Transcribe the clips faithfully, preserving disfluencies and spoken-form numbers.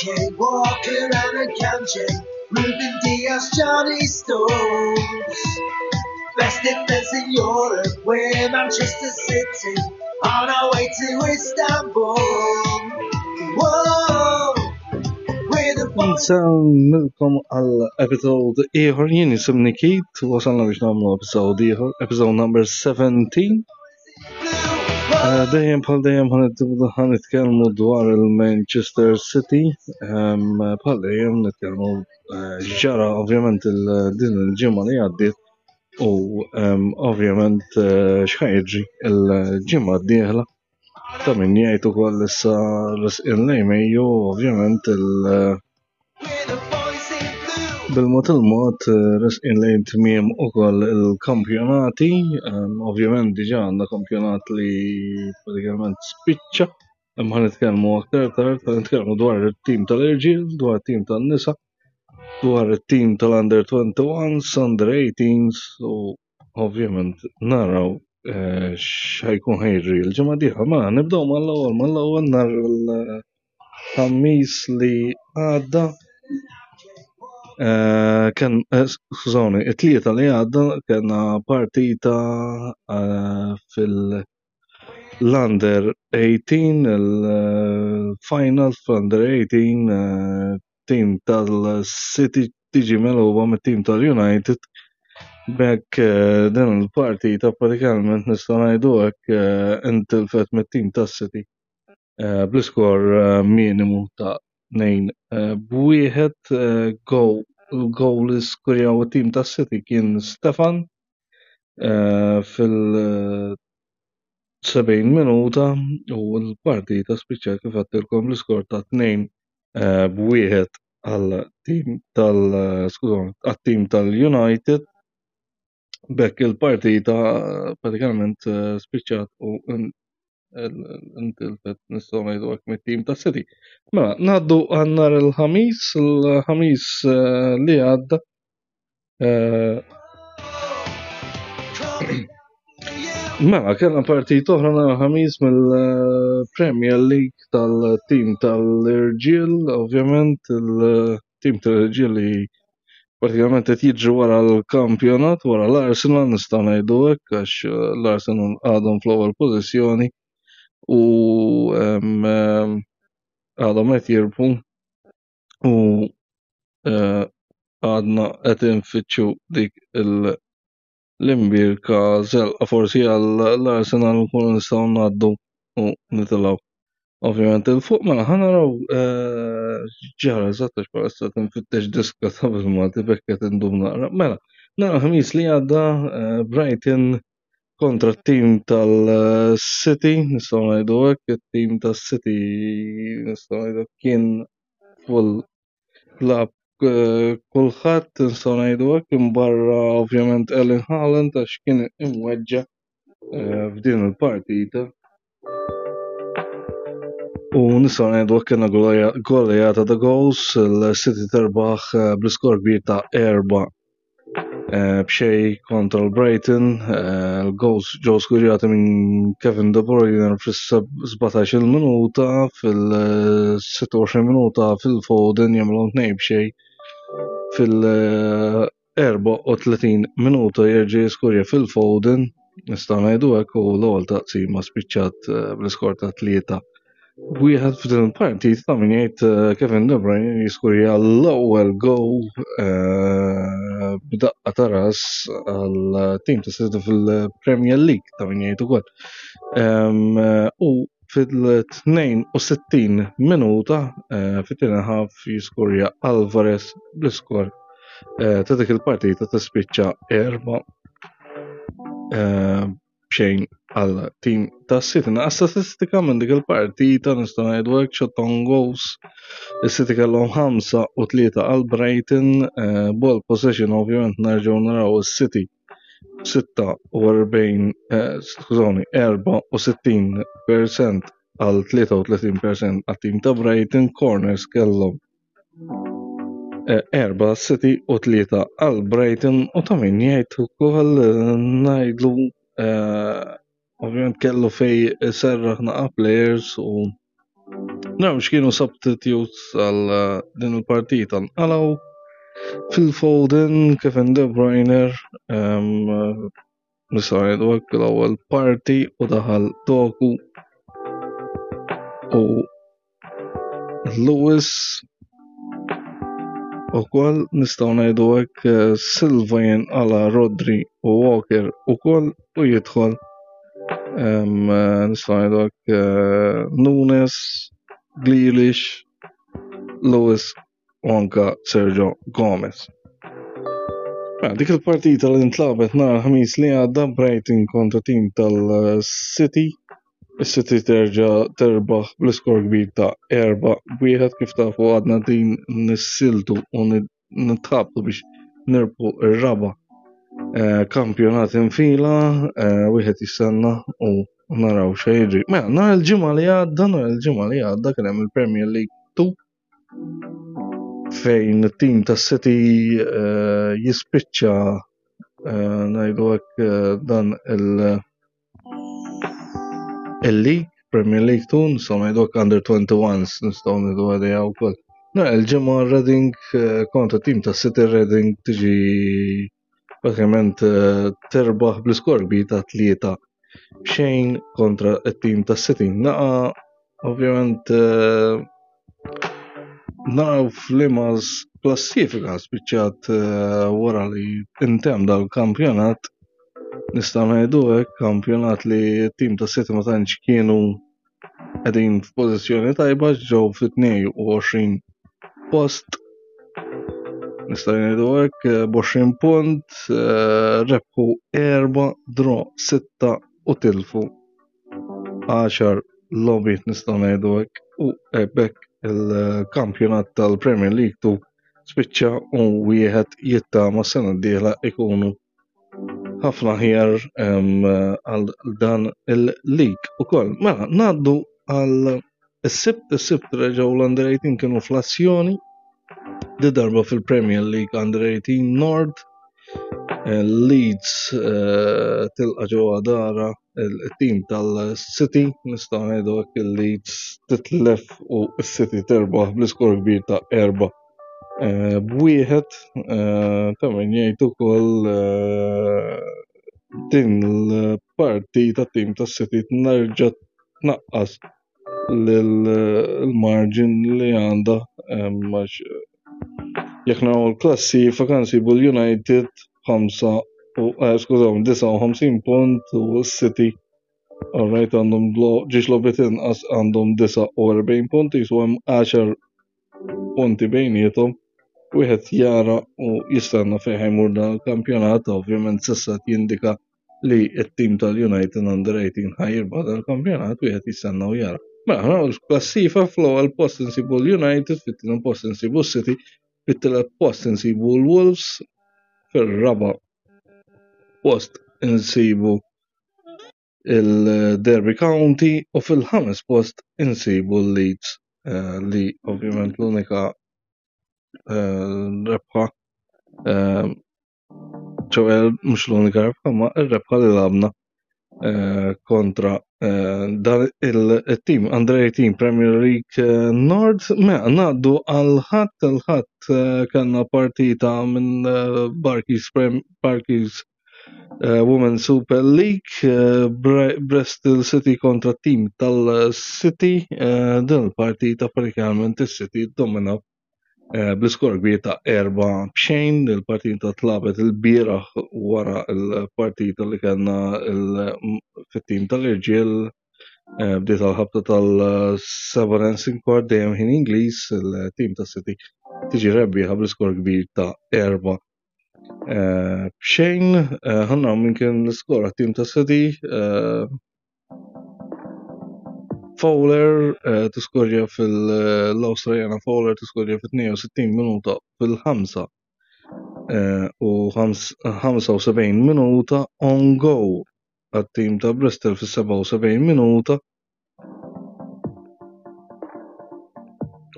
Ake, Walker and Akanji, Ruben Dias, Johnny Stones. Best defence in Europe, we're Manchester City, on our way to Istanbul. Whoa, we're the boys. Nsellmilkom għal episode ieħor. Jien jisimni Keith, wasalna biex nagħmlu episode ieħor, episode number seventeen. Eh, Dejjem bħal dejjem ħa nitkellmu dwar il-Manchester City, ehm, bħal dejjem nitkellmu eh, x'ġara ovvjament il- din il-ġimgħa li għaddiet u ehm, ovvjament eh, x'ħa jiġri il-ġimgħa d-dieħla. Ta' min jgħid ukoll issa resqin lejn Mejju, ovvjament il- We're the boys in blue. Bil-mod il-mod eh, resqin lejn tmiem ukoll il-kampjonati, ehm, ovvjament diġà għandna kampjonat li pratikament spiċċa, imma ħa nitkellmu aktar tard, ħa nitkellmu dwar it-tim tal-irġiel, dwar it-tim tan-nisa, dwar it-tim tal-under twenty-ones, under eighteens u ovvjament naraw eh, x'ħa jkun ħa jiġri l-ġimgħa d-dieħla. Ma nibdew mal-ewwel mal-ewwel nhar il-Ħamis li għadda. Eh, Ken, eh, skużawni, it-Tlieta li għadda kellna partita eh, fil-Under eighteen, il-final fl-Under eighteen, eh, team tal-City tiġi megħluba mit-team tal-United. B'hekk eh, din il-partita pratikament nistgħu ngħidu hekk eh, intilfet mit-team tas-City eh, bl-iskor eh, minimu ta' tnejn eh, b'wieħed. eh, Goal il-goal li skurjaw it-team tas-City kien Stefan eh, fil- sebgħin minuta u l-partita spiċċat kif għedtilkom l-iskor ta' tnejn eh, b'wieħed għal team tal skużawni, għat-team tal-United. B'hekk il-partita eh, pratikament eh, spiċċat u intilfet, nistgħu ngħidu hekk, mit-team ta' City. Mela, ngħaddu għal nhar il-Ħamis, il-Ħamis eh, li għadda. Eh, Mela, kellna partita oħra nhar il-Ħamis mill-Premier League tal-team tal-Irġiel, ovvjament il-team tal-Irġiel li pratikament qed jiġru wara l-kampjonat, wara l-Arsenal, nistgħu ngħidu hekk, għax l-Arsenal għadhom fl-ewwel pożizzjoni u em, em, għadhom qed jirbħu u eh, għadna qed infittxu dik il- l-imbierka żelqa forsi għall-Arsenal nkunu nistgħu ngħaddu u nitilgħu. Ovvjament il-fuq. Mela ħa naraw eh, ġara eżatt, għax bħalissa qed nfittex diska ta' bil-Malti, b'hekk qed indum naqra. Mela, nhar Ħamis li għadda eh, Brighton kontra t-team tal-City, nistgħu ngħidu hekk, it-team tas-City nistgħu ngħidu kien full lab eh, kulħadd, nistgħu ngħidu hekk, imbarra ovvjament Erling Haaland għax kien imweġġa eh, f'din il-partita. U nistgħu ngħidu hekk kellna goleada ta' goals, il-City terbaħ eh, bl-iskor kbir ta' erba' eh, b'xejn kontra l-Brighton. eh, Il-goals ġew skurjati minn Kevin De Bruyne fis-sbatax-il minuta, fil-sitta u għoxrin minuta Phil Foden jagħmlu tnejn b'xejn, fil-erbgħa u tletin minuta jerġa' jiskurja Phil Foden, nistgħu ngħidu hekk, u l-ewwel taqsima spiċċat eh, bl-iskor ta' tlieta wieħed. F'din il-partit ta' min jgħid eh, Kevin De Bruyne jiskurja l-ewwel goal eh, b'daqqa ta' ras għal tim ta' City fil-Premier League, ta' min jgħid ukoll. Em, eh, U fil-tnejn u sittin minuta eh, fit-tieni half jiskurja Alvarez bl-iskor eh, ta' dik il-partita tispiċċa erba' eh, b'xejn għal tim ta' City. Naqra statistika minn dik il-partita, nistgħu ngħidu hekk, shot on goals. Is-City kellhom ħamsa u tlieta għal Brighton, eh, ball possession ovvjament nerġgħu naraw is-City sitta u erbgħin, eh, skużawni, erbgħa u sittin percent għal tlieta u tletin percent għat tim ta' Brighton, corners kellhom eh, erba' City u tlieta għal Brighton u ta' min jgħid ukoll eh, ngħidlu eh, ovvjament kellu fej serraħ naqa players u Naraw x'kienu substitutes għal eh, din il-partita. Nqalgħu Phil Foden, Kevin De Bruyne, nistgħu ngħidu hekk l-ewwel parti u daħal Doku u Lewis ukoll nistgħu ngħidu hekk eh, Silva jinqala Rodri u Walker ukoll u jidħol eh, nistgħu ngħidu hekk eh, Nunes, Grealish, Lewis u anka Sergio Gomez. Mela, dik il-partita li ntlabet nhar ħamis li għadda Brighton kontra tim tal-City. Is-City terġa' terbaħ bl-iskor kbir ta' erba' wieħed kif tafu għadna din nissiltu u nitħabtu biex nirbħu ir-raba' eh, kampjonat infila, eh, wieħed jistenna u naraw x'se jiġri. Mela, nhar il-ġimgħa li għadda, nhar il-ġimgħa li għadda kien hemm il-Premier League two fejn it-tim ta' City eh, jispiċċa eh, ngħidu hekk eh, dan il- il-League, Premier League two, nistgħu ngħidu hekk Under twenty-ones, nistgħu ngħidu għadija wkoll. Nhar il-ġimgħa Reading kontra tim ta' City, Reading tiġi pratikament terbaħ bl-iskor kbir ta' tlieta xejn kontra it-tim ta' City. Naqa ovvjament naraw f'liema klassifika spiċċat wara li intemm dal-kampjonat. Nistgħu ngħidu hekk kampjonat li t-tim ta' City ma tantx kienu qegħdin f'pożizzjoni tajba, ġew fit-tnejn u għoxrin post. Nistgħu ngħidu hekk b'għoxrin punt, rebħu erba', draw sitta u tilfu għaxar logħbiet, nistgħu ngħidu hekk, u b'hekk il-kampjonat tal-Premier League two spiċċa u wieħed jittama sena d-dieħla ikunu ħafna aħjar għal dan il-league ukoll. Mela, ngħaddu għal is-Sibt, is-Sibt reġgħu l-Under eighteen kienu fl-azzjoni, di darba fil-Premier League Under eighteen North. Leeds eh, tilqa' ġewwa dara il-tim tal-City, nistgħu ngħidu hekk il-Leeds titlef u s-City terbaħ bl-iskor kbir ta' erba' eh, b'wieħed. eh, ta' min jgħid ukoll din l-partita tim tas-City nerġa' tnaqqas l-margin li għandha, jekk naraw l-klassifika nsibu l-United ħamsa u eh, skużaw, disgħa u ħamsin punt u s-City, alright, għandhom ġiex logħbiet inqas, għandhom disgħa u erbgħin punti, jisu hemm għaxar punti bejniethom. Wieħed jara u jistenna fejn ħa jmur dan il-kampjonat, ovvjament s'issa jindika li t-tim tal-United Under eighteen ħa jirbaħ dal-kampjonat, wieħed jistenna u jara. Mela, l-klassifika, fl-ewwel post insibu l-United, fit-tieni post insibu s-City, fit-tielet post insibu l-Wolves, fir-raba' post insibu il-Derby County u fil-ħames post insibu l-Leeds eh, li ovvjament l-unika eh, rebħa, eh, ċoè mhux l-unika rebħa, ma r-rebħa li lagħabna kontra dan il-team Under eighteen Premier League North. Mela, ngħaddu għal-Ħadd. Il-Ħadd kellna partita minn Barclays Barclays Women's Super League, Bristol City kontra team tal-City. Din il-partita pratikament is-City dominaw bl-iskor kbir ta' erba' b'xejn. Il-partita tlagħbet il-bieraħ wara l-partita li kellna fit-tim tal-irġiel. Bdiet għal-ħabta tal-seba' kwart, dejjem ħin Ingliż. Il-tim tas-City tiġi rebbieħa bl-iskor kbir ta' erba' b'xejn. Ħa naraw min kien l-iskor għat-tim tas-City. Fowler tiskorja fil-Awstraljana, Fowler tiskorja fit-tnejn u sittin minuta, fil-ħamsa u ħamsa u sebgħin minuta on go għat-tim ta' Bristol fis-sebgħa u sebgħin minuta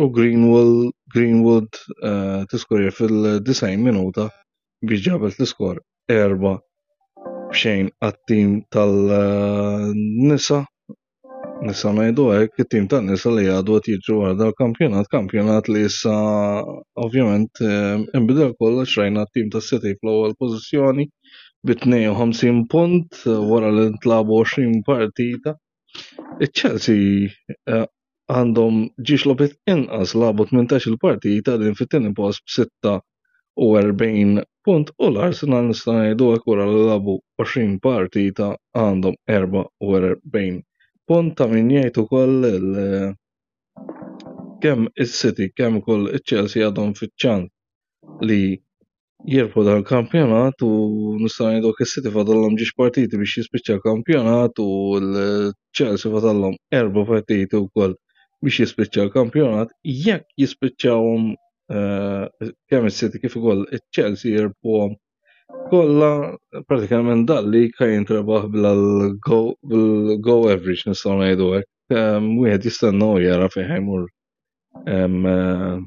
u Greenwood, Greenwood uh, tiskorja fil-disgħin minuta biex ġabet l-iskor erba' b'xejn għat-tim tal-nisa. Nistgħu ngħidu hekk, it-tim tan-nisa li għadu qed jiġru wara dal-kampjonat, kampjonat li issa ovvjament inbidel kollox. Rajna t-tim tas-City fl-ewwel pożizzjoni bi tnejn u ħamsin punt wara li ntlagħbu għoxrin partita. Iċ-Chelsea eh, għandhom ġiex logħbiet inqas, lagħbu tmintax-il partita, din fit-tieni post b'sitta u erbgħin punt, u l-Arsenal, nista' ngħidu hekk, wara li lagħbu għoxrin partita għandhom erbgħa u erbgħin punt. Ta' min jgħid ukoll kemm is-City kemm ukoll iċ-Chelsea għadhom fiċ-ċans li jirbħu dal-kampjonat, u nista' ngħidu is-City fadallhom ġiex partiti biex jispiċċa l-kampjonat u l-Chelsea fadallhom erba' partiti wkoll biex jispiċċa l-kampjonat. Jekk jispiċċawhom eh, kemm is-City kif ukoll iċ-Chelsea jirbħuhom kollha, pratikament dal-league ħa jintrebaħ bil-goal average, nistgħu ngħidu hekk. Wieħed jistenna u jara fejn ħa jmur eh,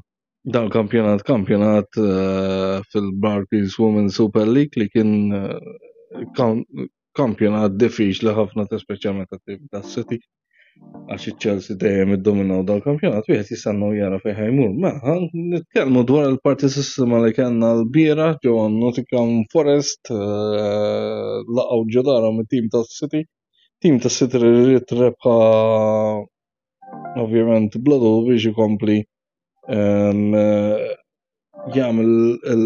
dan kampjonat kampjonat eh, fil-Barclays Women's Super League, li kien eh, kampjonat diffiċli ħafna, ta' speċjalment tat-tim tas-City, għax iċ-Chelsea dejjem iddominaw dal-kampjonat. Wieħed jistenna u jara fejn ħa jmur. Mela, nitkellmu dwar il-partitissima li kellna l-bieraħ ġewwa Nottingham Forest, eh, laqgħu ġo darhom it-tim tas-City. Tim tas-City li ried rebħa ovvjament bla biex ikompli jagħmel il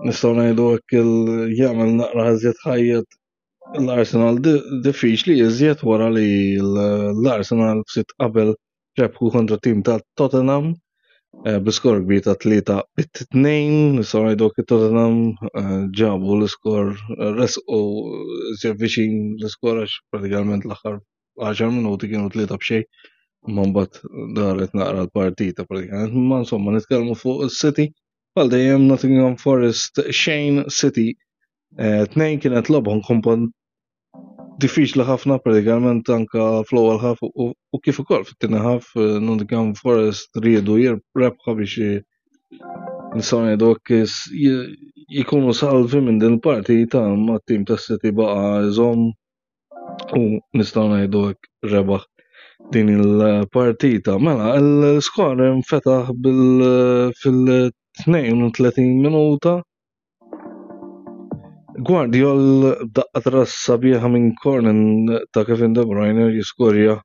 nistgħu ngħidu hekk, jagħmel naqra iżjed ħajjet l-Arsenal diffiċli iżjed wara li l-Arsenal ftit qabel rebħu kontra tim ta' Tottenham eh, b'iskor kbir ta' tlieta bit-tnejn. Nistgħu ngħidu hekk, Tottenham eh, ġabu l-iskor, resqu iżjed viċin l-iskor, għax pratikament l-aħħar għaxar minuti kienu tlieta b'xejn. Imma mbagħad daret naqra l-partita pratikament. Ma insomma, nitkellmu fuq is-City. Bħal dejjem, Nottingham Forest xejn, City eh, tnejn. Kienet logħba kompon diffiċli ħafna pratikament anka fl-ewwel half u u kif ukoll fit-tieni half. eh, Nottingham Forest riedu rebħa biex nistgħu ngħidu hekk jikunu salvi minn din il-partita, imma t-tim tas-City baqa' iżomm u, nistgħu ngħidu hekk, rebaħ din il-partita. Mela, l-skor infetaħ bil fil-tnejn u tletin minuta. Gvardiol daqqa ras sabiħa minn corner ta' Kevin De Bruyne jiskorja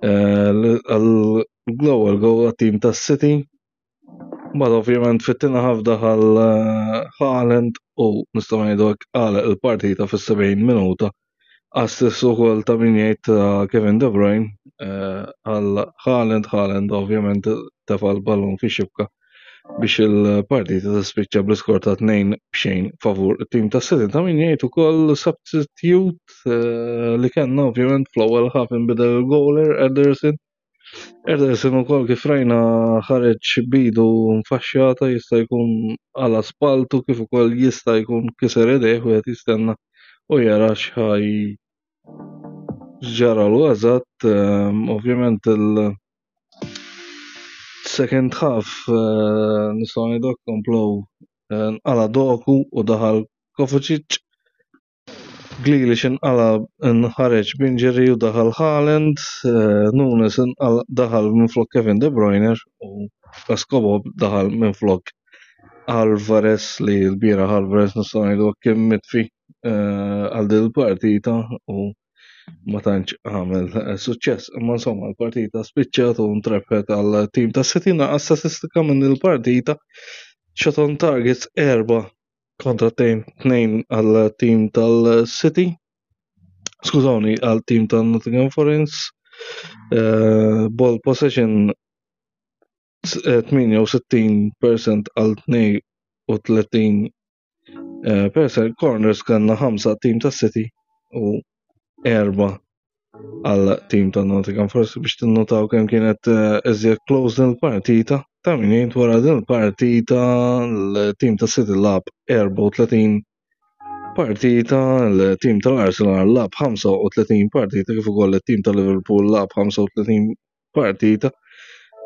eh, għall-ewwel goal għat-tim tas-City. Mbagħad ovvjament fit-tieni half daħal eh, Haaland u, nistgħu ngħidu hekk, għalaq il-partita fis-sebgħin minuta. Assist ukoll ta' min jgħid ta' Kevin De Bruyne eh, għal Haaland. Haaland ovvjament tefa' l-ballun fix-xibka biex il-partita tispiċċa bl-iskor ta' tnejn b'xejn favur it-tim ta' City. Ta' min jgħid ukoll substitute eh, li kellna, ovvjament fl-ewwel half inbidel il-goaler Ederson. Ederson ukoll kif rajna ħareġ b'idu mfaxxjata, jista' jkun għala spaltu kif ukoll jista' jkun kiser idejh. Wieħed jistenna u jara x'ħaj ġaralu eżatt. Ehm, ovvjament il- second half eh, nistgħu ngħidu komplow eh, nqala Doku u daħal Kovacic. Grealish inqala nħareġ b'injury u daħal Haaland, eh, Nunes inqala daħal minflok Kevin De Bruyne u Escobo daħal minflok Alvarez, li l-bieraħ Alvarez, nistgħu ngħidu, kien mitfi għal din il-partita u ma tantx għamel eh, suċċess. Imma insomma, l-partita spiċċat u ntrebħet għal tim ta' City. Naqas statistika minn il-partita: shot on targets erba kontra tnejn għal tim tal-City. Skużawni, għal tim tal-Nottingham Forest. Eh, ball possession tmienja u sittin fil-mija għal tnejn u tletin eh, percent. Corners kellna ħamsa tim ta' City u erba għal tim ta' Nottingham Forest, biex tinnotaw kemm kienet eh, iżjed close din il-partita. Ta' min jgħid, wara din il-partita l-tim ta' City lagħab erbgħa u tletin partita, l-tim tal-Arsenal lagħab ħamsa u tletin partita, kif ukoll it-tim ta' Liverpool lagħab ħamsa u tletin partita.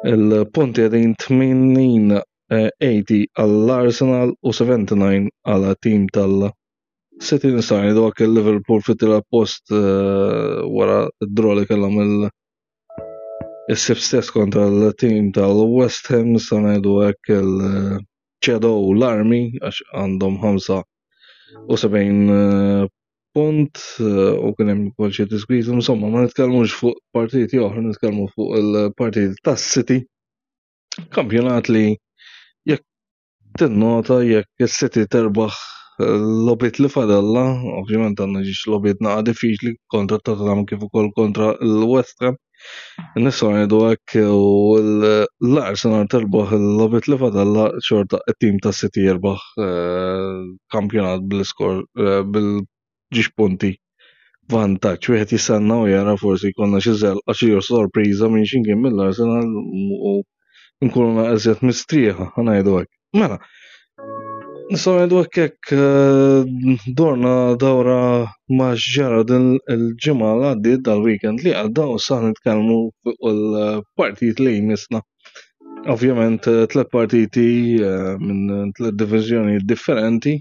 Il-punti qegħdin tmenin tmenin għall-Arsenal u sebgħa u sebgħin għal tim tal- City. Nistgħu ngħidu hekk, il-Liverpool fit-tielet post eh, wara d-draw li kellhom il- is-Sibt stess kontra l-team tal-West Ham. Nistgħu ngħidu hekk, il-ċedew l-armi għax għandhom ħamsa u sebgħin eh, punt eh, u kien hemm ukoll xi diskwit. Insomma, ma nitkellmux fuq partiti oħra, nitkellmu fuq il-partiti tas-City. Kampjonat li jekk tinnota, jekk is-City terbaħ l-logħbiet li fadalla, ovvjament għandna żewġ logħbiet naqa diffiċli kontra Tottenham kif ukoll kontra l-West Ham. Nistgħu ngħidu hekk, u l-Arsenal terbaħ il-logħbiet li fadalla, xorta it-tim ta' City jirbaħ eh, kampjonat bl-iskor eh, bil-żewġ punti vantaġġ. Wieħed jistenna u jara, forsi jkollna xi żelqa, xi sorpriża minn xi kien mill-Arsenal u nkunu iżjed mistrieħa, ħa ngħidu hekk. Mela, nistgħu ngħidu hekk, hekk eh, dorna dawra ma' ġara din il-ġimgħa li għaddiet, dal-weekend li għadda, u sa nitkellmu fuq il-partit li jmissna. Ovvjament eh, tliet partiti eh, minn tliet diviżjoni differenti.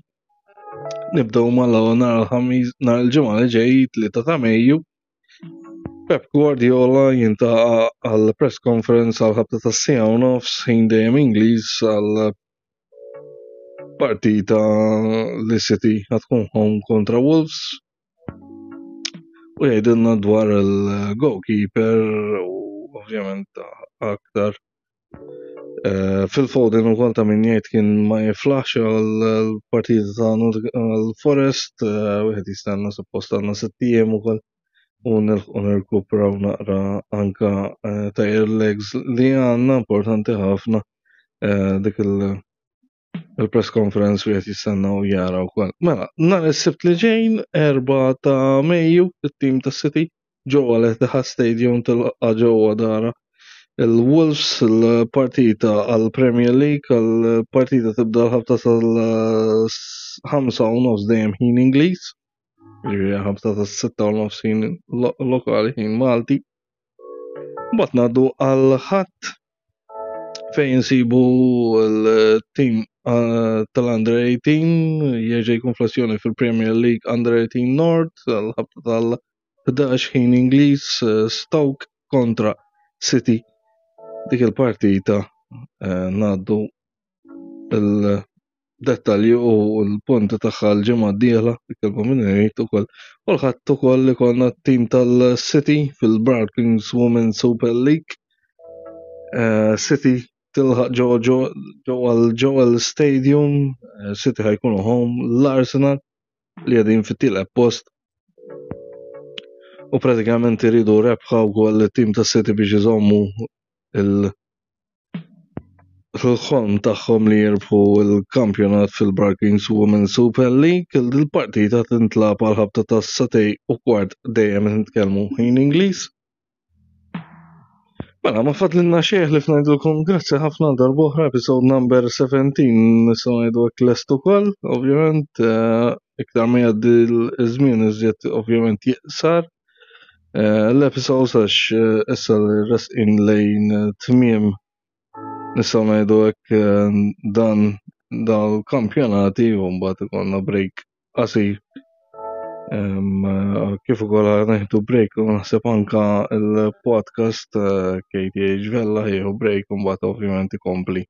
Nibdew mal-ewwel nhar il-Ħamis, nhar il-Ġimgħa li ġej, tlieta ta' Mejju. Pep Guardiola jiltaqa' għal press conference għal ħabta ta' siegħa u nofs ħin dejjem Ingliż għal partita li City tkun home kontra Wolves u jgħidilna dwar il-goalkeeper u ovvjament aktar. Eh, Phil Foden ukoll ta' min jgħid kien ma jiflaħx għal-partita ta' l-Forest, eh, wieħed jistenna, suppost għandna sitt ijiem ukoll u nilħqu nirkupraw naqra anka eh, tired legs li għandna, importanti ħafna eh, dik il- il-press conference wieħed jistenna u jara wkoll. Mela, nhar is-Sibt li ġejn, erba' ta' Mejju, it-tim ta' City ġewwa l-Etihad Stadium tilqa' ġewwa dara il-Wolves, il-partita għal-Premier League. Għal-partita tibda l-ħabta tal-ħamsa u nofs dejjem ħin Ingliż. Ġifieri ħabta tas-sitta u nofs ħin lo- lokali, ħin Malti. Mbagħad ngħaddu għal-Ħadd fejn insibu l-team eh, tal-Under eighteen jerġa' jkun fl-azzjoni fil-Premier League Under eighteen North għal-ħabta tal-ħdax ħin Ingliż, eh, Stoke kontra City. Dik il-partita eh, ngħaddu il-dettalji u l-punti tagħha l-ġimgħa d-dieħla, ikkelbu minn irid ukoll. U l-Ħadd ukoll ikollna t-team tal-City fil-Barclays Women Super League. Eh, City tilħaq ġewwa ġewwa l-Joel Stadium, eh, City ħa jkunu home l-Arsenal li qegħdin fit-tielet post. U pratikament iridu rebħa wkoll it-tim ta' City biex iżommu il- il-ħolm tagħhom li jirbħu l-kampjonat fil-Barclays Women Super League. Il-partita tintlagħab għal ħabta ta' sagħtejn u kwart dejjem nitkellmu ħin Ingliż. Mela, ma fadlilna xejn li ngħidulkom grazzi ħafna darb'oħra, episode number seventeen nistgħu ngħidu hekk lest ukoll, ovvjament eh, iktar ma jgħaddi l-żmien iżjed ovvjament jiqsar. Eh, L-episodes għax eh, issa li resqin lejn eh, tmiem, nistgħu ngħidu hekk, eh, dan dal-kampjonati u mbagħad ikollna break qasir. Em, eh, Kif ukoll nieħdu break u naħseb anka il-podcast eh, K T H Vella jieħu break u mbagħad ovvjament ikompli.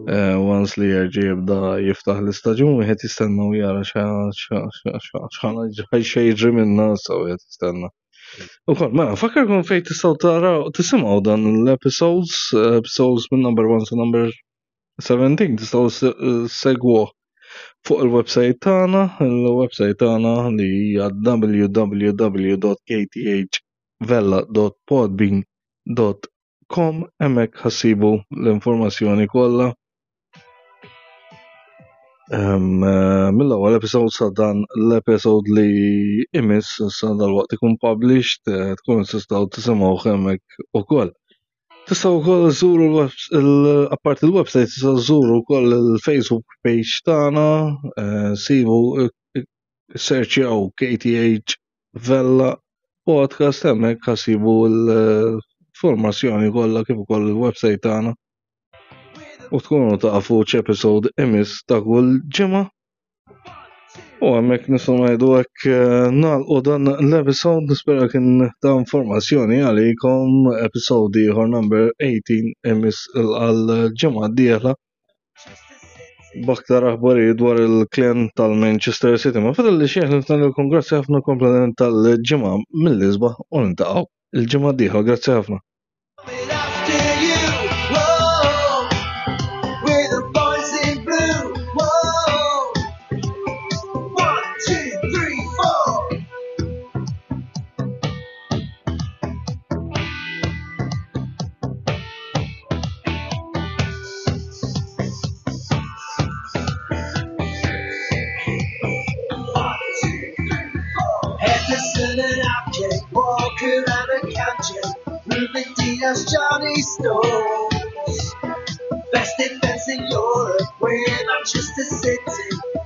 Eh, Once li jerġa' jibda jiftaħ l-istaġun, wieħed jistenna u jara x'ħa jiġri minna, so wieħed jistenna. Ukoll, mela, fakkarkom fejn tistgħu taraw, tisimgħu dan l-episodes, episodes minn number one sa number seventeen, tistgħu segwuh fuq il-website tagħna, il-website tagħna li hija w w w punt k t h vella punt podbean punt com, hemmhekk ħa ssibu l-informazzjoni kollha. Em, eh, Mill-ewwel episode sa dan l-episode li imiss sa dal-waqt ikun published, eh, tkun tistgħu tisimgħu hemmhekk ukoll. Tistgħu wkoll żuru l- apparti il-website, tistgħu żuru wkoll il-Facebook page tagħna, eh, sibu, searchjaw K T H Vella Podcast, hemmhekk ħa ssibu l-informazzjoni kollha kif ukoll il-website tagħna. U tkunu tafu x'episode imiss ta' kull ġimgħa. U hemmhekk nistgħu ngħidu hekk eh, nagħlqu dan l-episode, nispera kien ta' informazzjoni għalikom. Episode ieħor number eighteen imiss għal-ġimgħa d-dieħla b'aktar aħbarijiet dwar il-klan tal-Manchester City. Ma fadal li xejn nagħtilkom grazzi ħafna, komplement tal-ġimgħa mill-isbaħ u niltaqgħu il-ġimgħa d-dieħla. Grazzi ħafna. After you, whoa, we're the boys in blue, whoa. One, two, three, four. One, two, three, four. Henderson and Ake, Walker and Akanji, Ruben Dias, Johnny Stones. Best defense in Europe, we're Manchester City.